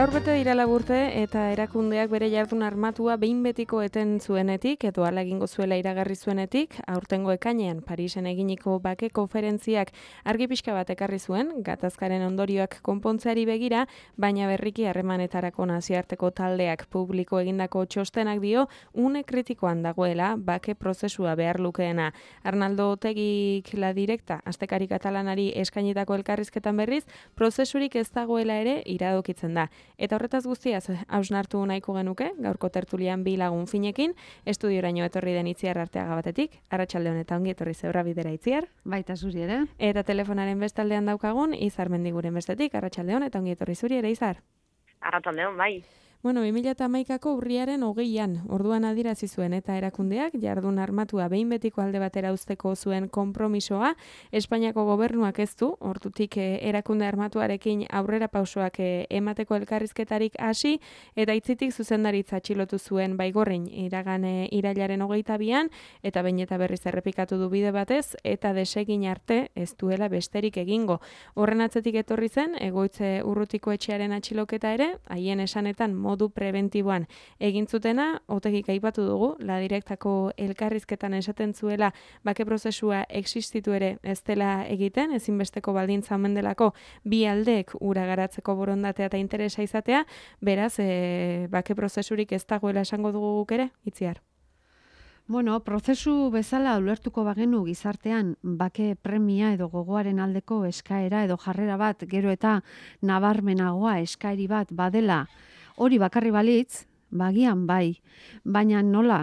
Gaur bete dira laburte eta erakundeak bere jardun armatua behin betiko eten zuenetik edo hala egingo zuela iragarri zuenetik, aurtengo ekainean Parisen eginiko bake konferentziak argi pixka bat ekarri zuen, gatazkaren ondorioak konpontzeari begira, baina berriki harremanetarako nazioarteko taldeak publiko egindako txostenak dio une kritikoan dagoela bake prozesua behar lukeena. Arnaldo Otegik La Directa, astekari katalanari eskainitako elkarrizketan berriz, prozesurik ez dagoela ere iradokitzen da. Eta horretaz guztiaz hausnartu nahiko genuke, gaurko tertulian bi lagun finekin, estudioraino etorri den Itziar Arteaga batetik, arratsalde honetan ongi etorri Zebra Bidera Itziar. Baita zuri ere. Eta telefonaren bestaldean daukagun, Izar Mendiguren bestetik, arratsalde honetan ongi etorri zuri ere, Izar. Arratsalde on, bai. Bueno, 2011ko urriaren 20an, orduan adierazi zuen eta erakundeak jardun armatua behin betiko alde batera uzteko zuen konpromisoa, Espainiako gobernuak ez du, ordutik erakunde armatuarekin aurrera pausoak emateko elkarrizketarik hasi, eta itzitik zuzendaritza atxilotu zuen Baigorrin iragan irailaren 22an, eta behin eta berriz errepikatu du bide batez, eta desegin arte ez duela besterik egingo. Horren atzetik etorri zen, Egoitze Urrutiko etxearen atxiloketa ere, haien esanetan modu prebentiboan egin zutena, Otegik aipatu dugu, La Directako elkarrizketan esaten zuela bake prozesua existitu ere ez dela egiten, ezinbesteko baldintza omen delako bi aldeek ura garatzeko borondatea eta interesa izatea, beraz, bake prozesurik ez dagoela esango dugu guk ere, Itziar. Bueno, prozesu bezala ulertuko bagenu gizartean bake premia edo gogoaren aldeko eskaera edo jarrera bat, gero eta nabarmenagoa eskaeri bat badela, hori bakarri balitz, bagian bai, baina nola,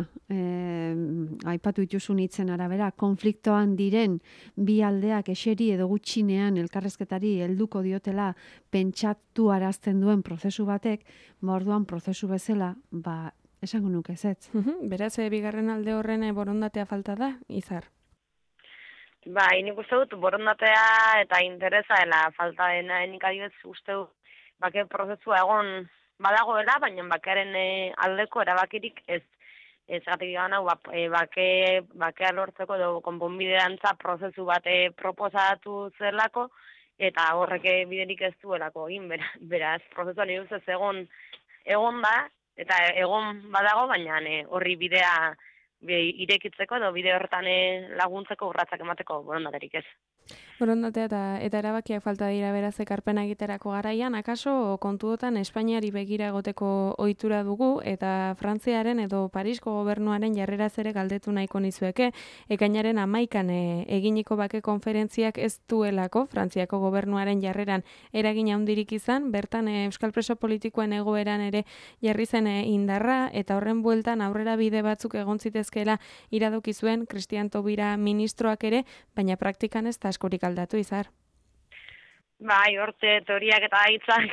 aipatu dituzun hitzen arabera, konfliktoan diren bi aldeak eseri edo gutxinean elkarrezketari helduko diotela pentsatu arazten duen prozesu batek, orduan prozesu bezala, esango nuke ezetz. Beraz, bigarren alde horren borondatea falta da, Izar? Bai, nik uste dut borondatea eta interesa dela falta dena, nik adibidez uste dut bake prozesua egon badagoela, baina bakearen aldeko erabakirik ez gatik gana bakea lortzeko edo konponbiderantza prozesu bate proposatu zelako, eta horrek biderik ez duelako egin, beraz, prozesua nire ustez egon da, eta egon badago, baina horri bidea irekitzeko edo bide horretan laguntzeko urratsak emateko borondaterik ez. Borondatea eta erabakiak falta dira beraz ekarpena egiterako garaian, akaso kontuotan Espainiari begira egoteko ohitura dugu eta Frantziaren edo Parisko gobernuaren jarreraz ere galdetu nahiko nizueke, ekainaren 11an eginiko bake konferentziak ez duelako Frantziako gobernuaren jarreran eragin handirik izan, bertan euskal preso politikoen egoeran ere jarri zen indarra eta horren bueltan aurrera bide batzuk egon zitezkeela iradoki zuen Cristian Taubira ministroak ere, baina praktikan ez da askorik aldatu, Izar. Bai, horte teoriak eta hitzak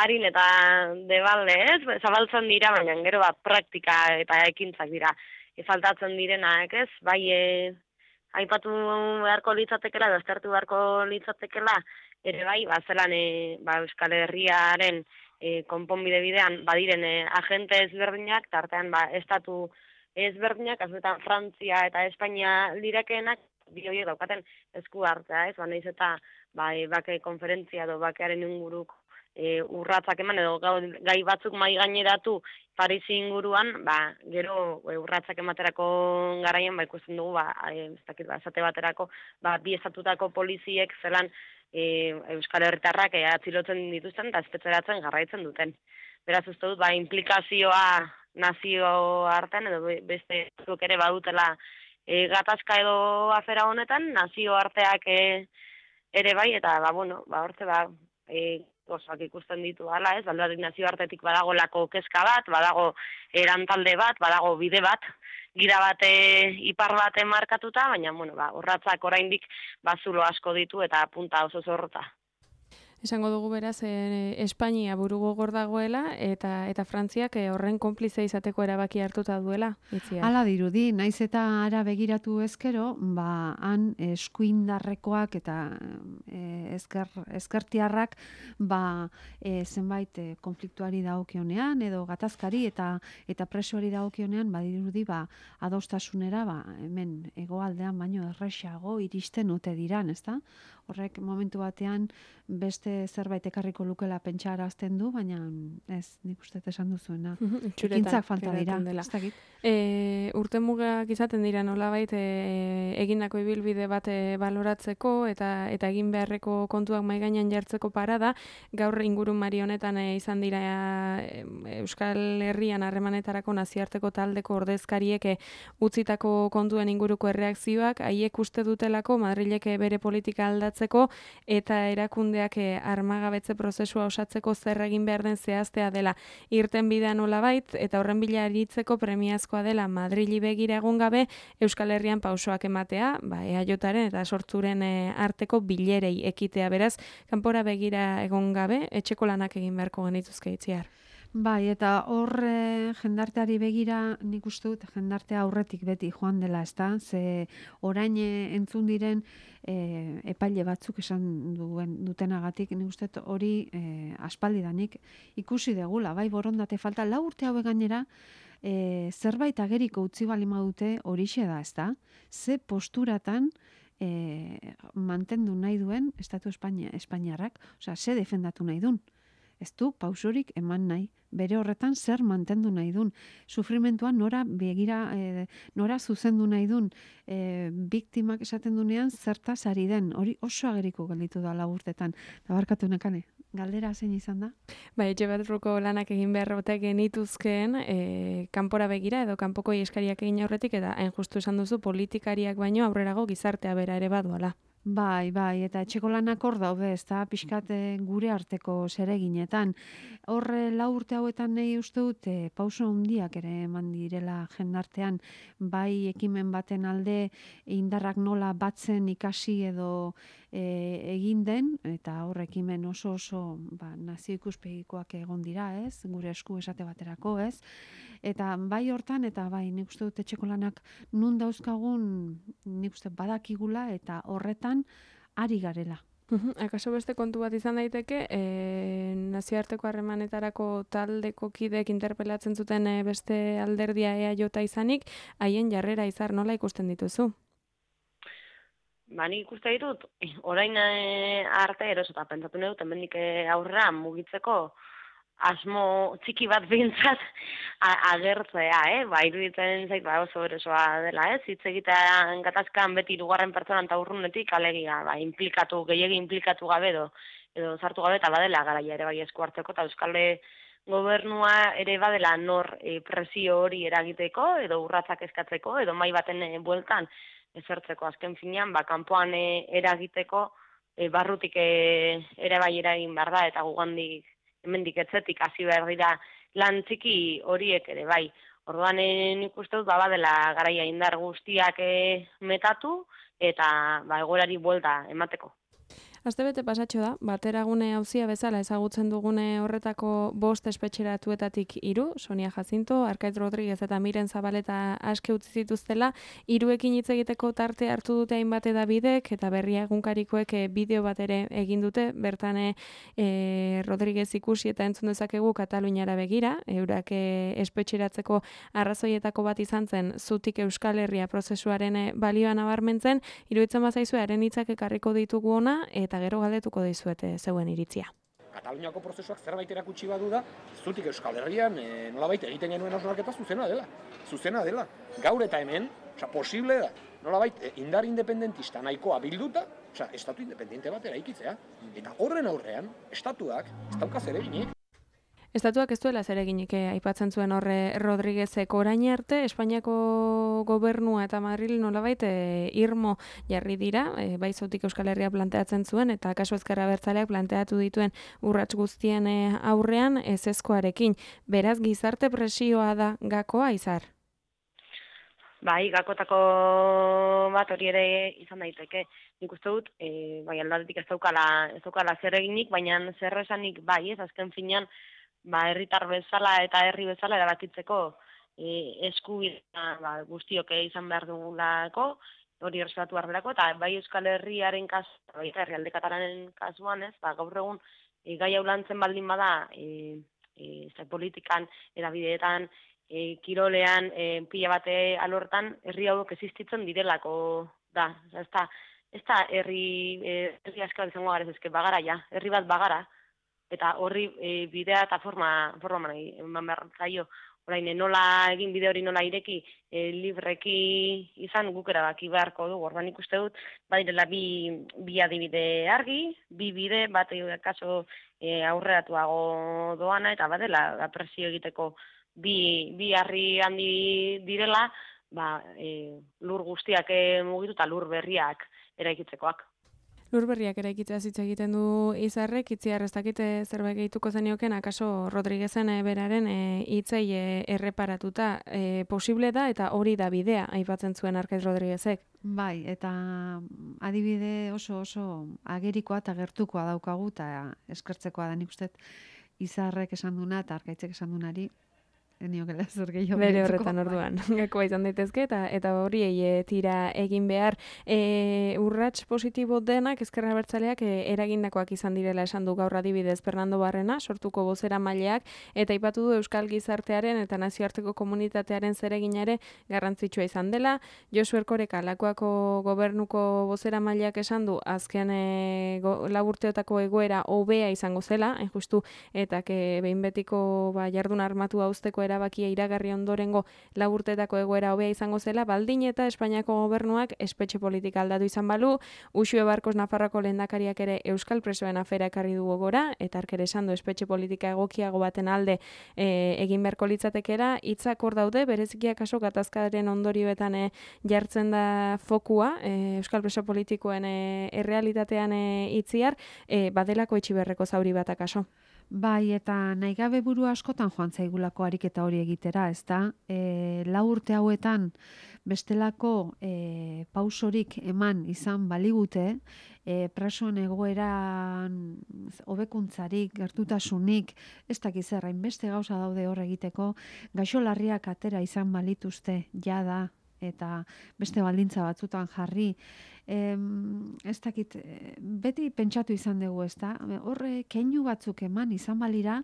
harin eta debalde, ez? Zabaltzen dira, baina gero praktika eta ekintzak dira. Faltatzen direnak, ez? Bai, aipatu beharko litzatekela, aztertu beharko litzatekela, ere bai, zelan Euskal Herriaren konponbide bidean badiren agente ezberdinak, tartean estatu ezberdinak, azuetan Frantzia eta Espainia lirakeenak, bi horiek daukaten esku hartzea, ez? Naiz eta bake konferentzia edo bakearen inguruko urratsak eman edo gai batzuk mai gaineratu Parisi inguruan, gero urratsak ematerako garaian ikusten dugu, esate baterako, bi estatutako poliziek zelan Euskal Herritarrak atzilotzen dituzten eta espetxeratzen jarraitzen duten. Beraz, uste dut, implikazioa nazio artean edo beste batzuk ere badutela gatazka edo afera honetan, nazio arteak ere bai, eta hortze osak ikusten ditu hala, ez? Alde nazio artetik badago lako kezka bat, badago erantalde bat, badago bide bat, gira bat ipar bat markatuta, baina horratzak oraindik zulo asko ditu eta punta oso zorrota. Esango dugu beraz, Espainia buru gogor dagoela eta Frantziak horren konplize izateko erabaki hartuta duela, Itziar. Hala dirudi, naiz eta ara begiratu ezkero, han eskuindarrekoak eta ezkertiarrak zenbait konfliktuari dagokionean edo gatazkari eta presoari dagokionean badirudi adostasunera hemen hegoaldean baino erresago iristen ote diran, ezta? horrek momentu batean beste zerbait ekarriko lukela pentsarazten du, baina ez, nik uste esan duzuena. Ekintzak falta dira, ez dakit. Urte mugak izaten dira nolabait egindako ibilbide bat baloratzeko eta egin beharreko kontuak mahai gainean jartzeko parada, gaur ingurumari honetan izan dira Euskal Herrian harremanetarako nazioarteko taldeko ordezkariek utzitako kontuen inguruko erreakzioak, haiek uste dutelako Madrilek bere politika aldatzeko eta erakundeak armagabetze prozesua osatzeko zer egin behar den zehaztea dela irten bidea nolabait, eta horren bila aritzeko premiazkoa dela Madrili begira egon gabe Euskal Herrian pausoak ematea, EAJaren eta sortzuren arteko bilerei ekitea, beraz, kanpora begira egon gabe, etxeko lanak egin beharko genituzke Itziar. Bai, eta hor jendarteari begira nik uste dut jendartea aurretik beti joan dela, ezta? Ze orain entzun diren epaile batzuk esan dutenagatik, nik uste dut hori aspaldidanik ikusi degula, bai borondate falta, 4 urte hauek gainera zerbait ageriko utzi balima dute horixe da, ezta? Ze posturatan mantendu nahi duen Estatu Espainiarrak, osea, ze defendatu nahi duen. Ez du pausorik eman nahi, bere horretan zer mantendu nahi dun, sufrimentuan nora begira, nora zuzendu nahi dun, biktimak esaten dunean zertaz ari den, hori oso ageriko gelditu da 4 urtetan. Tabarkatu Nekane, galdera zein izan da? Etxe barruko lanak egin beharrotek genituzkeen, kanpora begira edo kanpoko eskariak egin aurretik, eta hain justu esan duzu politikariak baino aurrerago gizartea bera ere baduala. Bai, eta etxeko lanak hor daude, ez da, pixkat gure arteko zereginetan. Horre 4 urte hauetan nahi uste dut, pauso handiak ere eman direla jendartean, bai ekimen baten alde indarrak nola batzen ikasi edo egin den, eta hor ekimen oso nazio ikuspegikoak egon dira, ez? Gure esku esate baterako, ez? Eta bai hortan, eta bai nik uste dut etxeko lanak nun dauzkagun nik uste badakigula eta horretan ari garela. Akaso beste kontu bat izan daiteke, nazioarteko harremanetarako taldeko kideek interpelatzen zuten beste alderdia EAJ izanik, haien jarrera Izar nola ikusten dituzu? Nik ikuste ditut, orain arte erosota pentsatu nahi dut, hemendik aurrera mugitzeko asmo txiki bat behintzat agertzea, iruditzen zait oso erosoa dela, hitz egitea gatazkan beti 2. pertsonan eta urrunetik alegia, gehiegi inplikatu gabe edo sartu gabe eta badela garaia ere bai esku hartzeko, eta Euskal Gobernua ere badela nor presio hori eragiteko edo urratsak eskatzeko edo mai baten bueltan ezertzeko azken finean, kanpoan eragiteko barrutik ere bai eragin behar da, eta gugandik hemendik etzetik hasi behar dira lan txiki horiek ere bai. Orduan nik uste dut badela garaia indar guztiak metatu eta egoerari buelta emateko. Astebete pasatxo da, bateragune auzia bezala ezagutzen dugune horretako 5 espetxeratuetatik 3, Sonia Jacinto, Arkaitz Rodriguez eta Miren Zabaleta aske utzi zituztela, 3ekin hitz egiteko tarte hartu dute hainbat edabidek eta Berria egunkarikoek bideo bat ere egin dute, bertan Rodriguez ikusi eta entzun dezakegu Kataluniara begira, eurak espetxeratzeko arrazoietako bat izan zen zutik Euskal Herria prozesuaren balioa nabarmentzen, iruditzen bazaizu haren hitzak ekarriko ditugu ona, eta gero galdetuko dizuete zeuen iritzia. Kataluniako prozesuak zerbait erakutsi badu da, zutik Euskal Herrian nolabait egiten genuen hausnarketa zuzena dela. Gaur eta hemen, posible da, nolabait indar independentista nahikoa bilduta, estatu independente bat eraikitzea. Eta horren aurrean, estatuak ez dauka zereginik. Estatuak ez duela zereginik aipatzen zuen horre Rodriguezek orain arte, Espainiako gobernua eta Madril nolabait irmo jarri dira, bai zautik Euskal Herria planteatzen zuen, eta kasu Ezker Abertzaleak planteatu dituen urrats guztien aurrean ezezkoarekin. Beraz, gizarte presioa da gakoa, Izar? Bai, gakotako bat hori ere izan daiteke. Nik uste dut, aldatetik ez daukala zereginik, baina zer esanik bai, azken finean, herritar bezala eta herri bezala erabakitzeko eskubidea guztiok izan behar dugulako, hori errespetatu behar delako, eta bai Euskal Herriaren kasuan, bai herrialde katalanen kasuan, gaur egun gai hau lantzen baldin bada politikan, edabideetan, kirolean, pila bate alortan, herri hauek existitzen direlako da. ez da herri asko izango gara, ezke bagara ja, herri bat bagara, eta horri bidea eta forma eman behar zaio. Orain, nola egin bide hori nola ireki, libreki izan guk erabaki beharko dugu. Orduan ikuste dut, badirela bi adibide argi, bi bide, bat kaso aurreratuago doana, eta badela presio egiteko bi harri handi direla, lur guztiak mugitu eta lur berriak eraikitzekoak. Lur berriak eraikitzea hitz egiten du Izarrek, Itziar ez dakite zerbait gehituko zenioken, akaso Rodriguezen beraren hitzei erreparatuta posible da eta hori da bidea, aipatzen zuen Arkaiz Rodriguezek. Bai, eta adibide oso agerikoa eta gertukoa daukagu eta eskertzekoa da, nik uste Izarrek esan duna eta Arkaitzek esan dunari eniokela zer gehiago. Bere horretan orduan, gakoa izan daitezke eta horiei tira egin behar. Urrats positibo denak Ezker Abertzaleak eragindakoak izan direla esan du gaur adibidez Fernando Barrena, sortuko bozeramaileak, eta aipatu du euskal gizartearen eta nazioarteko komunitatearen zeregina ere garrantzitsua izan dela. Josu Erkoreka, Lakuako gobernuko bozeramaileak esan du azken 4 urteotako egoera hobea izango zela, hain justu, eta behin betiko jardun armatua uzteko erabakia iragarri ondorengo 4 urteetako egoera hobea izango zela, baldin eta Espainiako gobernuak espetxe politika aldatu izan balu, Uxue Barkos Nafarroako lehendakariak ere euskal presoen afera ekarri du gogora, eta ark ere esan du espetxe politika egokiago baten alde egin beharko litzatekera, hitzak hor daude, bereziki kaso gatazkaren ondorioetan jartzen da fokua, euskal preso politikoen errealitatean Itziar, badelako etxiberreko zauri bat akaso. Bai, eta nahi gabe buru askotan joan zaigulako ariketa hori egitera, ez da? 4 urte hauetan bestelako pausorik eman izan baligute, presoen egoeran hobekuntzarik, gertutasunik, ez dakiz zer, hainbeste gauza daude hor egiteko, gaixo larriak atera izan balituzte jada, eta beste baldintza batzutan jarri, ez dakit, beti pentsatu izan dugu, ez da? Horre, keinu batzuk eman izan balira,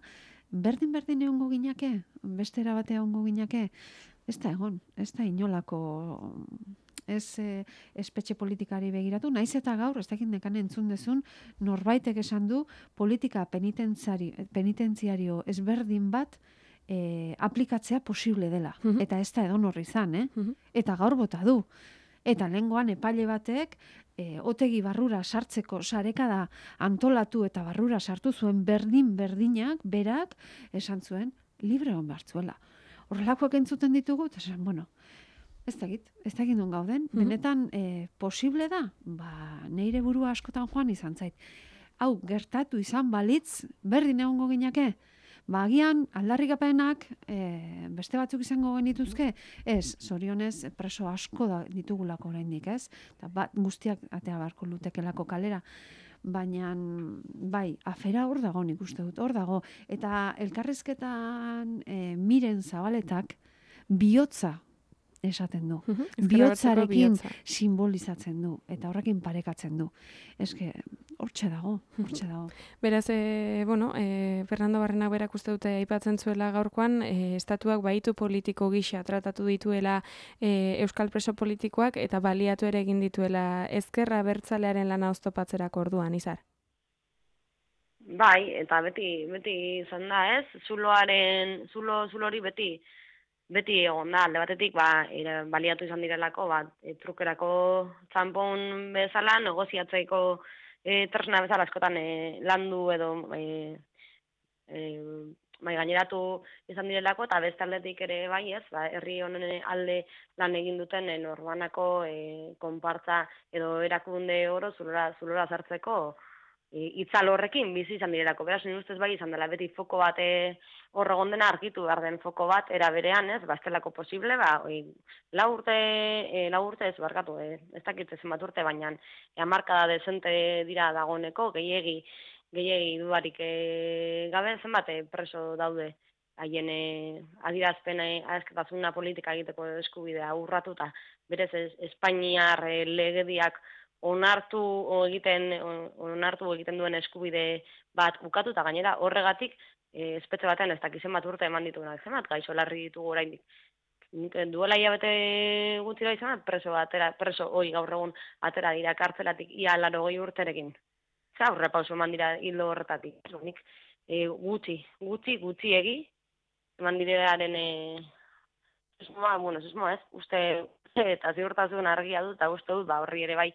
berdin egongo ginake, beste erabatea egongo ginake, ez da egon, ez da inolako, ez espetxe politikari begiratu, naiz eta gaur, ez dakit nekan entzun dezun, norbaitek esan du politika penitentziario ezberdin bat, aplikatzea posible dela. Eta ez da edon horri izan, Eta gaur bota du. Eta lehengoan epaile batek otegi barrura sartzeko sarekada antolatu eta barrura sartu zuen berdinak, berak, esan zuen, libre hon bartzuela. Horrelakoak entzuten ditugu, eta esan, bueno, ez dakit non gauden, benetan posible da, neire burua askotan joan izan zait. Hau, gertatu izan balitz, berdin egongo ginake, agian aldarrikapenak beste batzuk izango genituzke, ez, zorionez preso asko ditugulako oraindik, ez? Eta guztiak atea barko lutekelako kalera. Baina, bai, afera hor dago nik uste dut, hor dago. Eta elkarrezketan Miren Zabaletak bihotza esaten du. Bihotzarekin simbolizatzen du. Eta horrekin parekatzen du. Eske, hortxe dago. Beraz, Fernando Barrena berak uste dute aipatzen zuela gaurkoan, estatuak baitu politiko gisa tratatu dituela euskal preso politikoak eta baliatu ere egin dituela Ezker Abertzalearen lana oztopatzerako orduan, Izar. Bai, eta beti izan da, ez? Zulo hori beti egon da, alde batetik, baliatu izan direlako, trukerako txampon bezala, negoziatzeiko tresna bezala askotan landu edo gaineratu izan direlako, eta beste aldetik ere bai ez, herri honen alde lan egin duten norbanako konpartza edo erakunde oro zulora zartzeko itzal horrekin bizi izan direlako. Beraz, nire ustez bai izan dela, beti foko bat hor egon dena argitu behar den foko bat era berean, ez, estelako posible, 4 urte ez barkatu, ez dakit zenbat urte, baina hamarkada dezente dira dagoeneko, gehiegi dudarik gabe zenbat preso daude haien adierazpena politika egiteko eskubidea urratuta, berez Espainiar legediak onartu egiten duen eskubide bat ukatu, eta gainera horregatik espetxe batean ez dakizen bat urte eman ditugunak zenbat, gaixo larri ditugu oraindik. nik duela hilabete gutxira izan, preso gaur egun atera dira kartzelatik ia 80 urterekin. Aurrepauso eman dira hildo horretatik. Nik gutxiegi eman direaren susmoa ez, uste eta ziurtasun argia dut, eta uste dut, horri ere bai,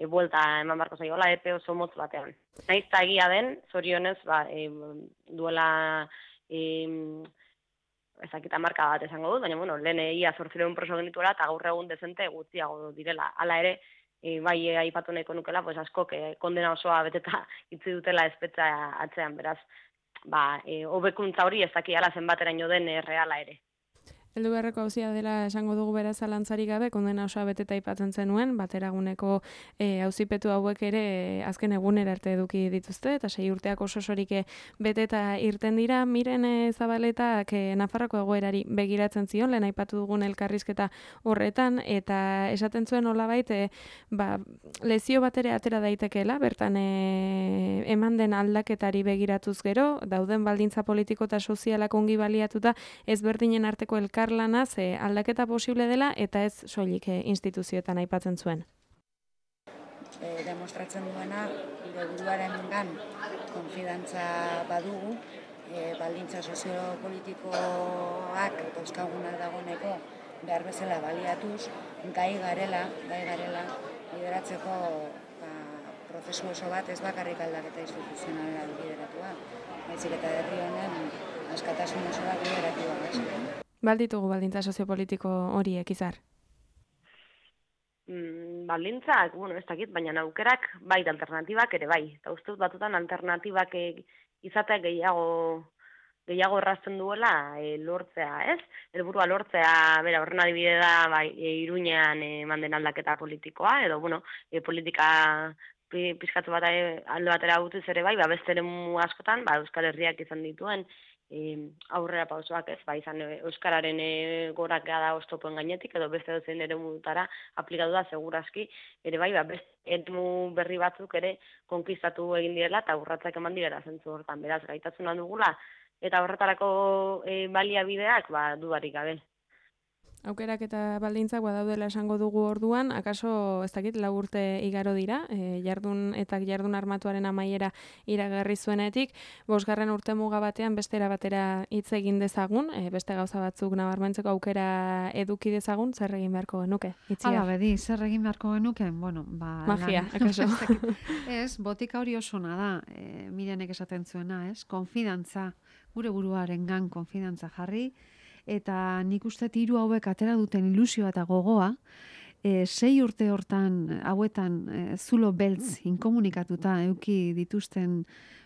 buelta eman barko zaiola, epe oso motz batean. Naiz eta egia den, zorionez, duela ezakita marka bat esango dut, baina, lehen ia 800 preso genituela, eta gaur egun dezente gutxiago direla. Hala ere, bai aipatu nahiko nukela, askok kondena osoa beteta itzi dutela espetxa atzean, beraz, hobekuntza hori ez dakiala zenbateraino den reala ere. Heldu beharreko auzia dela esango dugu beraz zalantzarik gabe, kondena osoa beteta aipatzen zenuen, bateraguneko auzipetu hauek ere azken egunera arte eduki dituzte, eta 6 urteak osorik beteta irten dira. Miren Zabaletak Nafarroako egoerari begiratzen zion, lehen aipatu dugun elkarrizketa horretan, eta esaten zuen nolabait, lezio bat ere atera daitekeela, bertan eman den aldaketari begiratuz gero, dauden baldintza politiko eta sozialak ongi baliatuta, ezberdinen arteko elkarlanaz aldaketa posible dela eta ez soilik instituzioetan aipatzen zuen. Demostratzen duena, gure buruarengan konfidantza badugu, baldintza soziopolitikoak dauzkagunak dagoeneko behar bezala baliatuz, gai garela lideratzeko prozesu oso bat ez bakarrik aldaketa instituzionala lideratua, baizik eta herri honen askatasun oso bat lideratua. Balditugu baldintza soziopolitiko horiek, Izar? Baldintzak, ez dakit, baina aukerak bai alternatibak ere bai. Eta uste dut batutan alternatibak izatea gehiago errazten duela lortzea, ez? Helburua lortzea, horren adibide da, Iruñean manden aldaketa politikoa, edo, politika pizkatu bat alde batera gutuz ere bai, beste eremu askotan, Euskal Herriak izan dituen aurrera pausoak ez, izan Euskararen gorakea da oztopoen gainetik, edo beste dozen eremutara aplikatu da segurazki, ere bai, beste eremu berri batzuk ere konkistatu egin direla, eta urratzak eman direla zentzu hortan, beraz, gaitatzen dugula, eta horretarako baliabideak, dudarik gabe. Aukerak eta baldintzak badaudela esango dugu orduan, akaso, ez dakit, 4 urte igaro dira, jardun armatuaren amaiera iragarri zuenetik, 5. urte muga batean bestera batera hitz egin dezagun, beste gauza batzuk nabarmentzeko aukera eduki dezagun, zer egin beharko genuke? Hala, bedi, zer egin beharko genuke? Magia, akaso. Ez, botika hori osona da, Mirenek esaten zuena, ez? Konfidantza, gure buruarengan konfidantza jarri, eta nik uste 3 hauek atera duten ilusioa eta gogoa, 6 urte hortan hauetan zulo beltz inkomunikatuta euki dituzten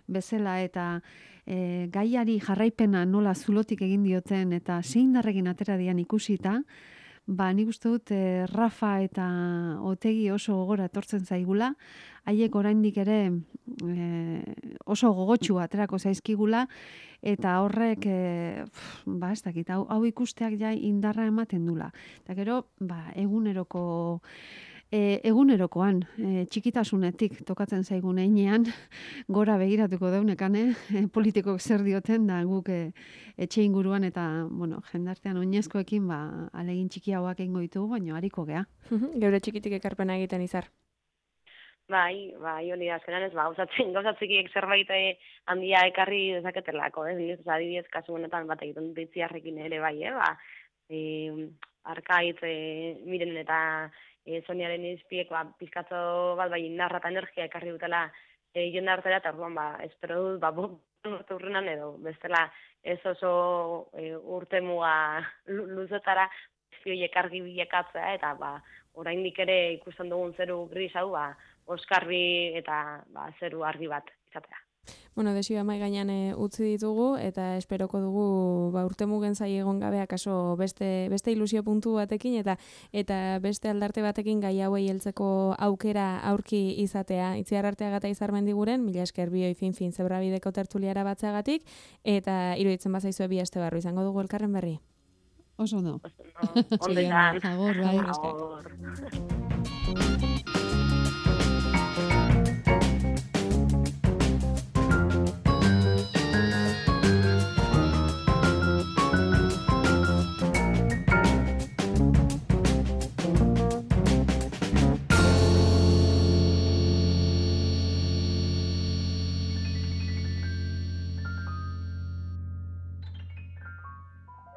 bezala eta gaiari jarraipena nola zulotik egin dioten eta zein darregin atera dian ikusita, nik uste dut Rafa eta Otegi oso gogora etortzen zaigula, haiek oraindik ere oso gogotsu aterako zaizkigula, eta horrek, ez dakit, hau ikusteak ja indarra ematen dula. Eta gero, egunerokoan, txikitasunetik tokatzen zaigun einean, gora begiratuko deunekane, politikok zer dioten, da guk etxe inguruan eta, jendartean oinezkoekin, alegin txiki hauak egingo ditugu, baina hariko gea. Geure txikitik ekarpena egiten, Izar. Bai, hori da, azkenan ez, gauzatzekiek zerbait handia ekarri dezaketelako, adibidez, kasu honetan bat egiten dut itziarrekin ere bai, Arkaitz, Miren eta Soniaren izpiek, pizkatzo bat narra eta energia ekarri dutela jende hartera, eta orduan, espero dut, urte urrenan edo, bestela ez oso urte muga luzetara, zioiek argi bilakatzea, eta oraindik ere ikusten dugun zeru gris hau, oskarbi eta zeru argi bat izatea. Desioa mai gainean utzi ditugu eta esperoko dugu urte mugen zai egon gabe akaso beste ilusio puntu batekin eta beste aldarte batekin gai hauei heltzeko aukera aurki izatea. Itziar Arteaga eta Izar Mendiguren, mila esker bioi fin Zebrabideko tertuliara batzeagatik eta iruditzen bazaizue bi aste barru izango dugu elkarren berri. Oso no. Ondetan. Agor, bai. Agor.